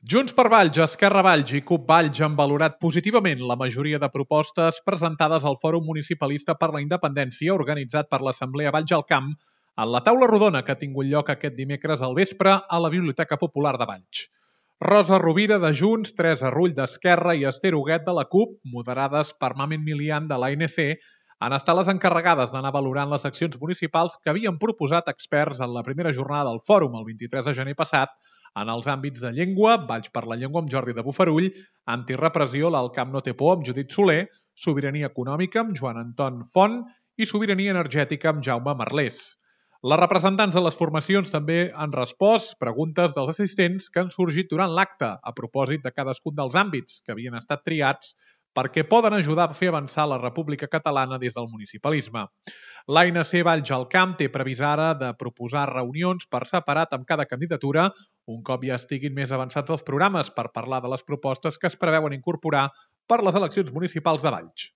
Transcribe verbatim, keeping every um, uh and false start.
Junts per Valls, Esquerra Valls i CUP Valls han valorat positivament la majoria de propostes presentades al Fòrum Municipalista per la Independència organitzat per l'Assemblea Valls al Camp en la taula rodona que ha tingut lloc aquest dimecres al vespre a la Biblioteca Popular de Valls. Rosa Rovira de Junts, Teresa Rull d'Esquerra i Esther Huguet de la CUP, moderades per Mamen Milian de l'A N C, han estat les encarregades d'anar valorant les accions municipals que havien proposat experts en la primera jornada del fòrum el vint-i-tres de gener passat en els àmbits de llengua, Valls per la llengua amb Jordi de Bofarull, antirepressió, l'Alt Camp no té por amb Judit Soler, sobirania econòmica amb Joan Anton Font i sobirania energètica amb Jaume Merlés. Les representants de les formacions també han respost preguntes dels assistents que han sorgit durant l'acte a propòsit de cadascun dels àmbits que havien estat triats perquè poden ajudar a fer avançar la República Catalana des del municipalisme. L'A N C Valls al Camp té previst ara de proposar reunions per separat amb cada candidatura un cop ja estiguin més avançats els programes per parlar de les propostes que es preveuen incorporar per les eleccions municipals de Valls.